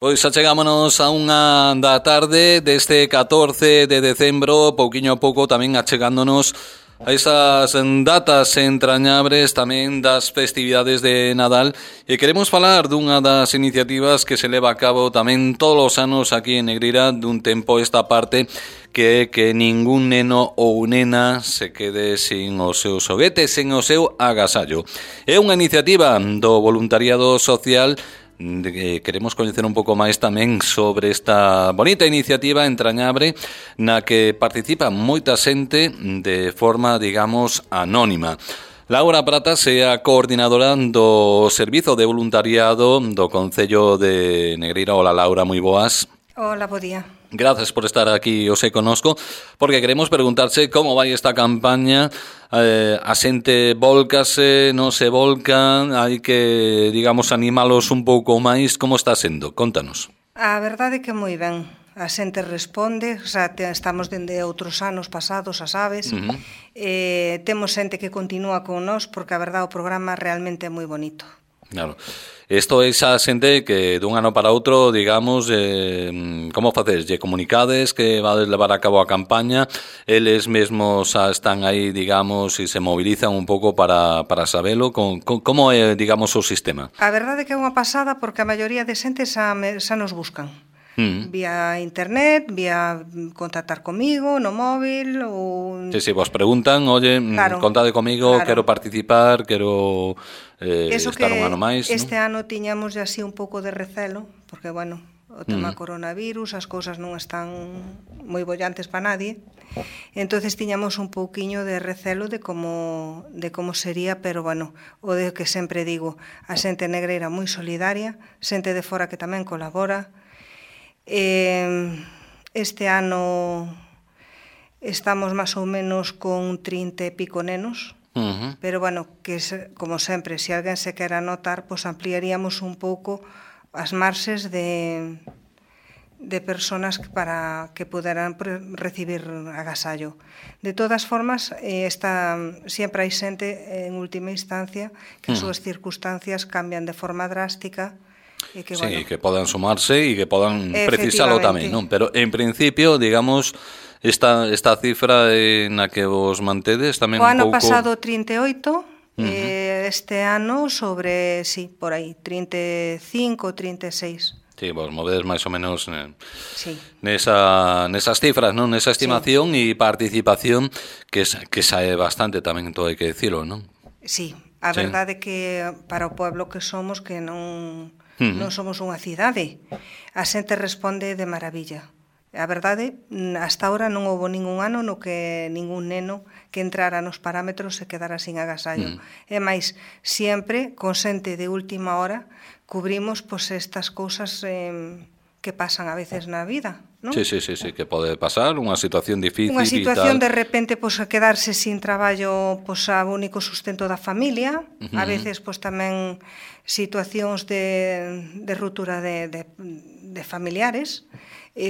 Pois achegámonos a unha da tarde deste 14 de decembro, pouquiño a pouco tamén achegándonos a esas datas entrañables tamén das festividades de Nadal, e queremos falar dunha das iniciativas que se leva a cabo tamén todos os anos aquí en Negreira dun tempo esta parte, que é que ningún neno ou nena se quede sin o seu xoguete, sen o seu agasallo. É unha iniciativa do voluntariado social. Queremos coñecer un pouco máis tamén sobre esta bonita iniciativa entrañable na que participa moita xente de forma, digamos, anónima. Laura Pratas é a coordinadora do Servizo de Voluntariado do Concello de Negreira. Hola, Laura, moi boas. Hola, bo día. Gracias por estar aquí hoxe conosco, porque queremos preguntarse como vai esta campaña. A xente volcase, non se volcan, hai que, digamos, animalos un pouco máis. Como está sendo? Contanos. A verdade é que moi ben. A xente responde, xa estamos dende outros anos pasados, a sabes. Temos xente que continúa con nós, porque a verdade o programa realmente é moi bonito. Claro. Isto é xa xente que dun ano para outro, digamos, como facedes? Lle comunicades que vades levar a cabo a campaña, eles mesmos xa están aí, digamos, e se mobilizan un pouco para sabelo. Como é, digamos, o sistema? A verdade é que é unha pasada, porque a maioría de xente xa nos buscan. Vía internet, vía contactar comigo no móvil ou... Sí, vos preguntan, oye, claro, contade comigo, claro, quero participar, quero estar un ano máis. Este ano tiñamos así un pouco de recelo, porque, bueno, o tema coronavirus, as cousas non están moi bollantes para nadie, entonces tiñamos un pouquiño de recelo de como sería, pero, bueno, o de que sempre digo, a xente negreira moi solidaria, xente de fora que tamén colabora. Este ano estamos máis ou menos con 30 e pico nenos, pero, bueno, que como sempre, se alguén se quera anotar, pois ampliaríamos un pouco as marxes de personas para que poderán recibir agasallo. De todas formas, sempre hai xente en última instancia que as súas circunstancias cambian de forma drástica. Sí, bueno, que podan sumarse e que podan precisalo tamén, non? Pero en principio, digamos, esta cifra na que vos mantedes tamén un pouco... O ano pasado 38, este ano sobre, sí, por aí, 35, 36. Sí, vos movedes máis ou menos nesas cifras, non? Nesa estimación e participación que sae bastante tamén, todo hai que dicilo, non? Sí, a verdade é que para o pueblo que somos, que non somos unha cidade, a xente responde de maravilla. A verdade, hasta ahora non houve ningún ano no que ningún neno que entrara nos parámetros se quedara sin agasallo. E máis, sempre, con xente de última hora, cubrimos estas cousas que pasan a veces na vida, non? Sí, que pode pasar, unha situación difícil. Unha situación de repente, quedarse sin traballo, a único sustento da familia, a veces tamén situacións de ruptura de familiares.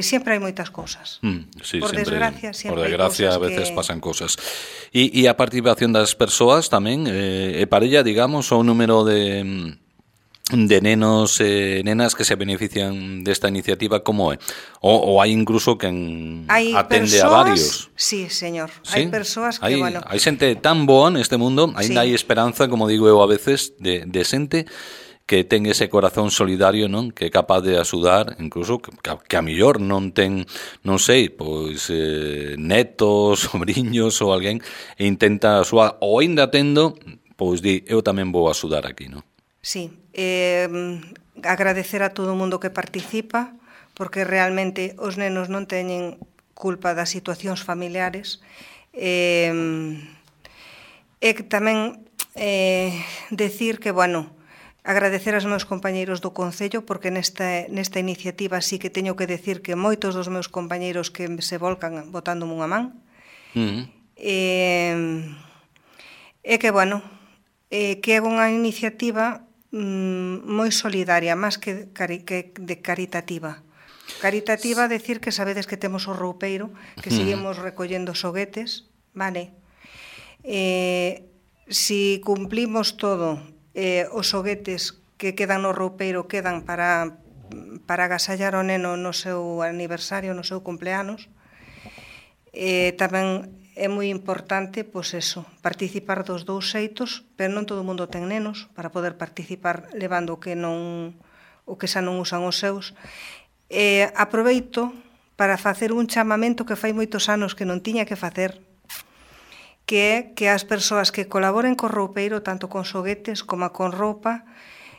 Sempre hai moitas cousas. Por desgracia, sempre hai cousas a veces pasan cousas. E a participación das persoas tamén, é parella, digamos, o número de nenos e nenas que se benefician desta iniciativa, como é? Ou hai incluso quen atende a varios? Sí, señor. ¿Sí? Hai persoas que, bueno... Hai xente tan boa neste mundo, ainda hai esperanza, como digo eu a veces, de xente que ten ese corazón solidario, non? Que é capaz de axudar, incluso que a millor non ten, non sei, pois netos, sobriños ou alguén, e intenta axudar, ou ainda tendo, pois di, eu tamén vou axudar aquí, non? Sí, agradecer a todo o mundo que participa, porque realmente os nenos non teñen culpa das situacións familiares, e tamén decir que, bueno, agradecer aos meus compañeiros do Concello, porque nesta iniciativa sí que teño que decir que moitos dos meus compañeiros que se volcan botándome unha man, e que, bueno, que é unha iniciativa moi solidaria, máis que de caritativa. Caritativa, decir que sabedes que temos o roupeiro, que seguimos recollendo xoguetes, vale? Si cumplimos todo, os xoguetes que quedan no roupeiro quedan para para agasallar o neno no seu aniversario, no seu cumpleanos. Tamén é moi importante, pois eso, participar dos dous xeitos, pero non todo o mundo ten nenos para poder participar levando o que xa non usan os seus. Aproveito para facer un chamamento que fai moitos anos que non tiña que facer, que é que as persoas que colaboren co roupeiro, tanto con xoguetes como con roupa,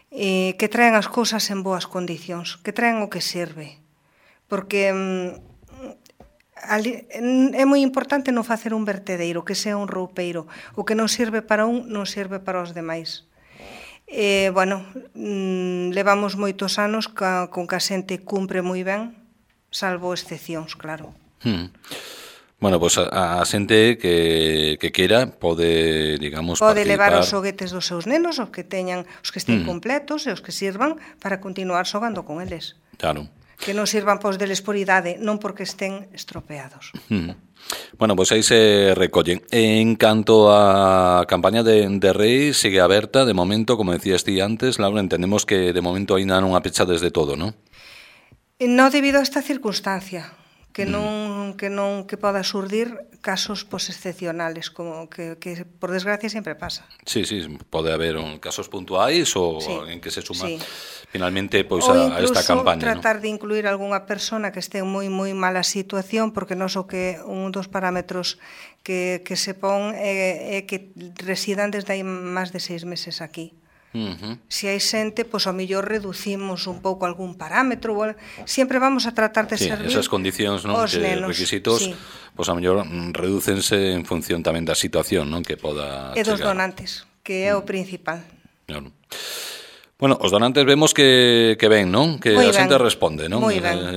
que traen as cousas en boas condicións, que traen o que serve. Porque é moi importante non facer un vertedeiro, que sea un roupeiro. O que non sirve para un, non sirve para os demais. Levamos moitos anos con que a xente cumpre moi ben, salvo excepcións, claro. Bueno, pois a xente que quera pode, digamos, pode participar. Levar os xoguetes dos seus nenos, os que estén completos e os que sirvan para continuar xogando con eles. Claro. Que non sirvan pois deles por idade, non porque estén estropeados. Bueno, pois aí se recollen. En canto a campaña de Reis, sigue aberta de momento, como decías ti antes, Laura, entendemos que de momento aínda non a pechades de todo, non? Non debido a esta circunstancia, que poda surdir casos excepcionales, como que por desgracia sempre pasa. Sí, pode haber casos puntuais ou en que se suma finalmente pois a esta campaña. Ou incluso tratar de incluir algunha persona que este en moi mala situación, porque non só que un dos parámetros que se pon é que residan desde hai máis de 6 meses aquí. Se hai xente, pois ao mellor reducimos un pouco algún parámetro, sempre vamos a tratar de servir esas condicións, non, que nenos, requisitos, pois ao mellor redúcense en función tamén da situación, non, que poda chegar. E dos donantes, que é o principal. Claro. Bueno, os donantes vemos que ven, non? Que a xente responde, non?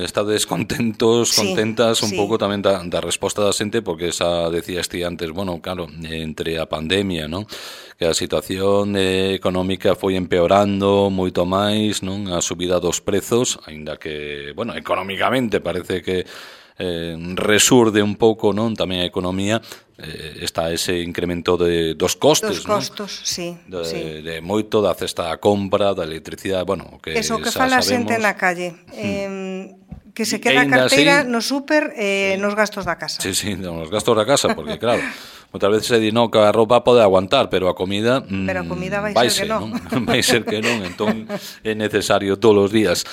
Estades contentas un pouco tamén da resposta da xente, porque xa decías ti antes, bueno, claro, entre a pandemia, non? Que a situación económica foi empeorando moito máis, non? A subida dos prezos, aínda que, bueno, económicamente parece que resurde un pouco, non, tamén a economía, está ese incremento dos costes, non? Dos costos, sí. De moito, da cesta da compra, da electricidade, bueno, que eso que fala a xente na calle, que se queda a carteira no súper, nos gastos da casa. Sí, nos gastos da casa, porque claro, moitas veces se di, non, que a roupa pode aguantar, pero a comida vai ser que non. Vai ser que non, entón é necesario todos os días.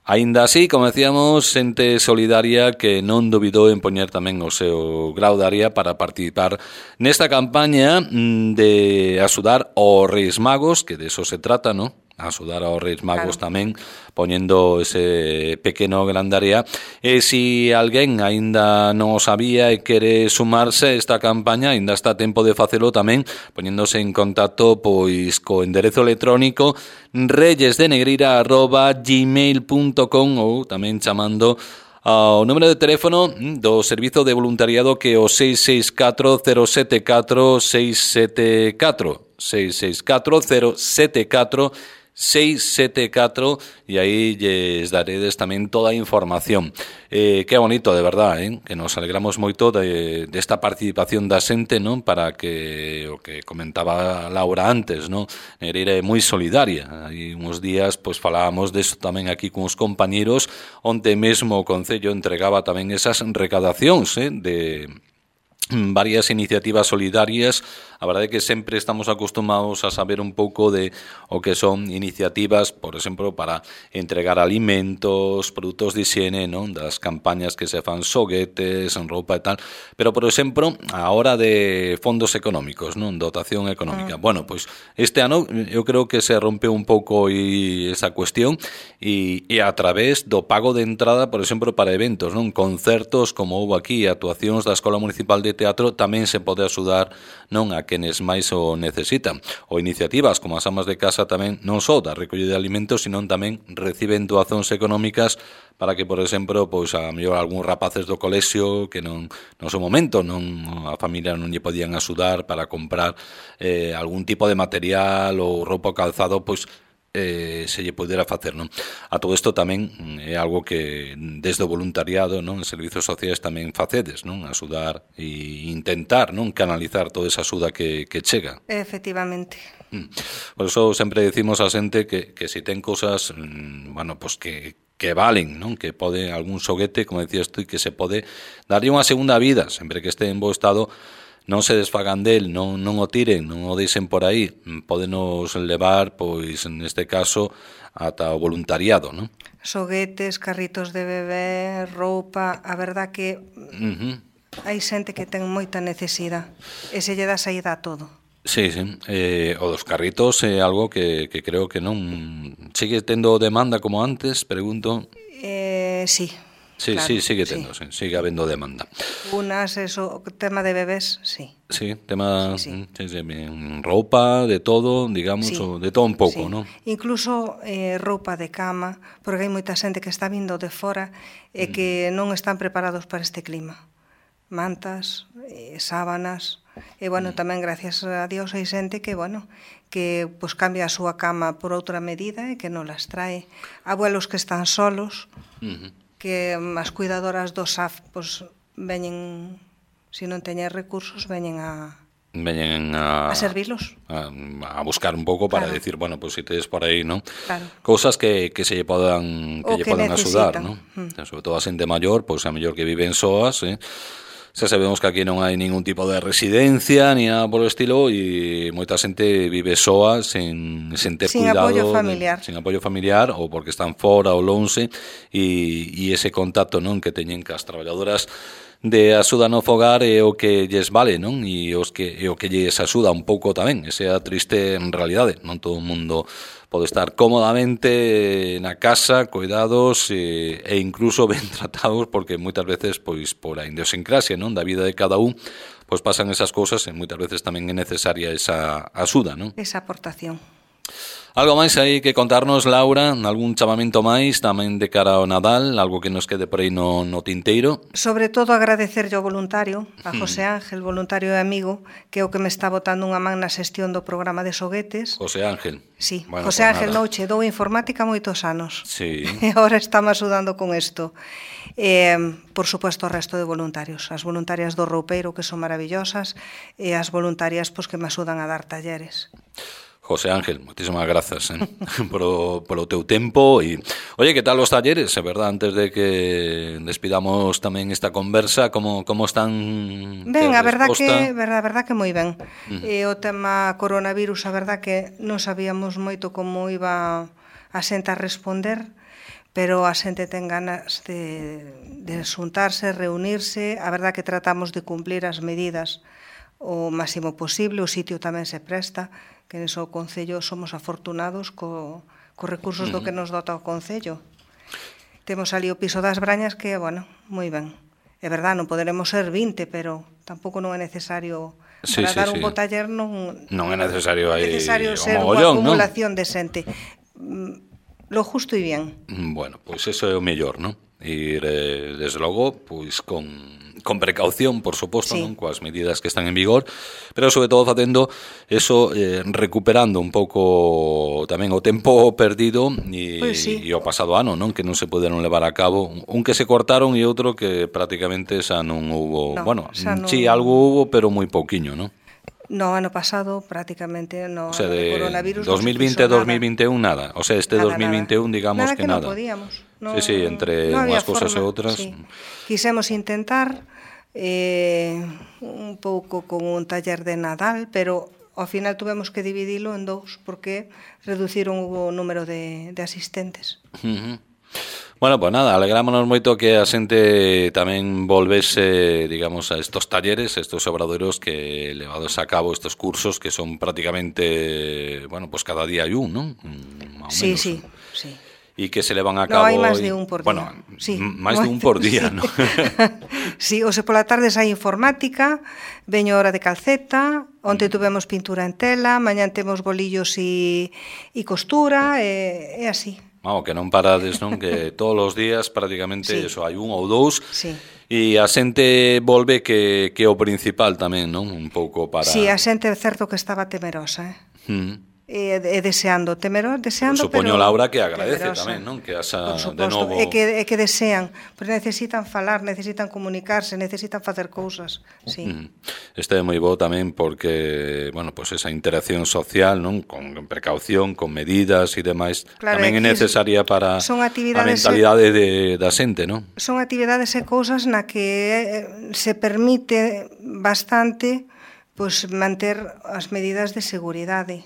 Aínda así, como decíamos, xente solidaria que non dubidou en poñer tamén o seu grau de área para participar nesta campaña de axudar aos Reis Magos, que de eso se trata, non? Axudar aos Reis Magos tamén, poñendo ese pequeno grandaría. E se alguén aínda non o sabía e quere sumarse a esta campaña, aínda está a tempo de facelo tamén, poñéndose en contacto pois co enderezo electrónico reyesdenegreira@gmail.com ou tamén chamando ao número de teléfono do Servizo de Voluntariado, que é o 664-074-674 e aí lles daredes tamén toda a información. Que bonito, de verdad, que nos alegramos moito desta participación da xente, non, para que o que comentaba Laura antes, non, Negreira é moi solidaria. Hai uns días pois falábamos deso tamén aquí con os compañeros, onde mesmo o Concello entregaba tamén esas recadacións de varias iniciativas solidarias. A verdade é que sempre estamos acostumados a saber un pouco de o que son iniciativas, por exemplo, para entregar alimentos, produtos de higiene, non, das campañas que se fan xoguetes, roupa e tal, pero, por exemplo, a hora de fondos económicos, non, dotación económica. Bueno, pois este ano eu creo que se rompeu un pouco esa cuestión e a través do pago de entrada, por exemplo, para eventos, non, concertos como houve aquí, actuacións da Escola Municipal de Teatro, tamén se pode axudar, non, a quenes máis o necesitan. Ou iniciativas como as amas de casa tamén, non só da recollida de alimentos, sino tamén reciben doazóns económicas para que, por exemplo, pois a mellor algún rapaces do colexio que non no seu momento a familia non lle podían axudar para comprar algún tipo de material ou roupa ou calzado, pois se lle pudera facer, non? A todo isto tamén é algo que desde o voluntariado, non, en servizos sociais tamén facedes, non, axudar e intentar, non, canalizar toda esa axuda que chega. Efectivamente. Por eso sempre decimos a xente que si ten cosas, bueno, pues que valen, non? Que pode algún xoguete, como decías tú, que se pode darlle unha segunda vida, sempre que este en bo estado, non se desfagan del, non o tiren, non o deixen por aí, pódenos levar, pois, neste caso, ata o voluntariado, non? Xoguetes, carritos de bebé, roupa, a verdad que hai xente que ten moita necesidade e se lle dá saída a todo. Sí, sí. O dos carritos é algo que creo que non sigue tendo demanda como antes, pregunto. Sí. Sí, claro, sí, sigue tendo, sí, sigue habendo demanda. Unas, eso, tema de bebés, sí. Sí, tema roupa, de todo, digamos, sí, de todo un pouco, sí. non? Incluso roupa de cama, porque hai moita xente que está vindo de fora e que non están preparados para este clima. Mantas, sábanas, e, bueno, tamén, gracias a Dios, hai xente que, bueno, que pues, cambia a súa cama por outra medida e que non las trae. Abuelos que están solos, que as cuidadoras do SAF pues, veñen, se non teñen recursos, veñen a servilos. A buscar un pouco para decir, bueno, pues si tedes por aí, ¿no? Claro. Cousas que se lle podan axudar, ¿no? Sobre todo a xente maior, pois a mellor que viven soas, xa sabemos que aquí non hai ningún tipo de residencia ni nada por o estilo e moita xente vive soa sen ter cuidado, sin apoio familiar ou porque están fora ou lonxe e ese contacto, non, que teñen cas traballadoras de axuda no fogar é o que lles vale, non? E o que lles axuda un pouco tamén, esa triste realidade, non todo o mundo pode estar cómodamente na casa, cuidados e incluso ben tratados, porque moitas veces, pois, por a idiosincrasia, non, da vida de cada un, pois pasan esas cousas e moitas veces tamén é necesaria esa axuda, non? Esa aportación. Algo máis aí que contarnos, Laura? Algún chamamento máis tamén de cara ao Nadal? Algo que nos quede por aí no tinteiro? Sobre todo agradecerlle ao voluntario, a José Ángel, voluntario e amigo, que é o que me está botando unha man na xestión do programa de xoguetes. José Ángel. Sí, bueno, José Ángel Nouche dou informática moitos anos. Sí. E agora estamos axudando con isto. Por suposto, o resto de voluntarios. As voluntarias do roupeiro, que son maravillosas, e as voluntarias pues, que me axudan a dar talleres. José Ángel, moitísimas grazas polo teu tempo e, oye, que tal os talleres, é verdad, antes de que despidamos tamén esta conversa, como están? Ben, a verdad que moi ben. O tema coronavirus, a verdad que non sabíamos moito como iba a xente a responder, pero a xente ten ganas de xuntarse, reunirse, a verdad que tratamos de cumplir as medidas o máximo posible, o sitio tamén se presta, que neso Concello somos afortunados co recursos do que nos dota o Concello. Temos ali o piso das Brañas que, bueno, moi ben. É verdad, non poderemos ser 20, pero tampouco non é necesario para dar un bo taller, non é necesario aí ser unha acumulación de xente. Lo justo e bien. Bueno, pois eso é o mellor, non? Ir, desde logo, pois con precaución, por suposto, sí, non, coas medidas que están en vigor, pero sobre todo facendo eso, recuperando un pouco tamén o tempo perdido e o pasado ano, non, que non se poderon levar a cabo, un que se cortaron e outro que prácticamente xa non hubo, sí, algo hubo, pero moi pouquiño, non? No, ano pasado prácticamente no, o sea, de coronavirus 2020 a 2021 nada. O sea, este nada, 2021 nada. Digamos nada que nada. Non podíamos. No, sí, entre unhas cousas e outras. Sí. Quisemos intentar un pouco con un taller de Nadal, pero ao final tuvemos que dividilo en dous porque reduciron o número de asistentes. Bueno, pues nada, alegrámonos moito que a xente tamén volvese, digamos, a estos talleres, estos obradoiros que levados a cabo estos cursos que son prácticamente, bueno, pues cada día hai un, non? Sí. E que se levan a cabo... No, hai máis de un por día. Bueno, máis de un por día, non? Sí, o sea, pola tarde hai informática, veño hora de calceta, onte tuvemos pintura en tela, mañán temos bolillos e costura, e así. Vamos, que non parades, non? Que todos os días prácticamente eso, hai un ou dous. Sí. E a xente volve que o principal tamén, non? Un pouco para... Sí, a xente é certo que estaba temerosa, deseando, supoño, pero Laura, que agradece temerosa. tamén, non? Que haxa Por de suposto, novo... é que desean, pero necesitan falar, necesitan comunicarse, necesitan facer cousas, sí. Este é moi bo tamén porque, bueno, pues esa interacción social, non? Con precaución, con medidas e demais, Claro, tamén é necesaria para a mentalidade da xente, non? Son actividades e cousas na que se permite bastante pois manter as medidas de seguridade.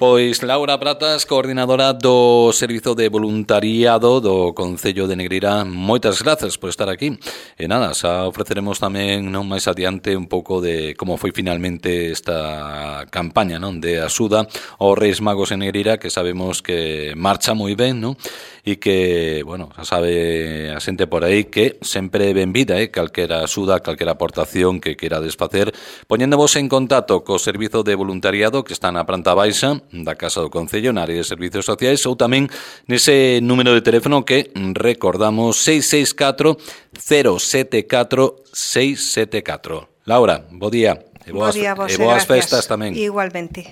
Pois Laura Pratas, coordinadora do Servizo de Voluntariado do Concello de Negreira, moitas grazas por estar aquí. E nada, xa ofreceremos tamén non máis adiante un pouco de como foi finalmente esta campaña, non, de axuda aos Reis Magos en Negreira, que sabemos que marcha moi ben, non? E que, bueno, xa sabe a xente por aí que sempre é benvida, calquera axuda, calquera aportación que queira desfacer, poñéndovos en contacto co Servizo de Voluntariado que está na planta baixa da Casa do Concello, na área de Servicios Sociais, ou tamén nese número de teléfono que recordamos 664 074 674. Laura, bo día. Bo día, e boas festas tamén. Igualmente.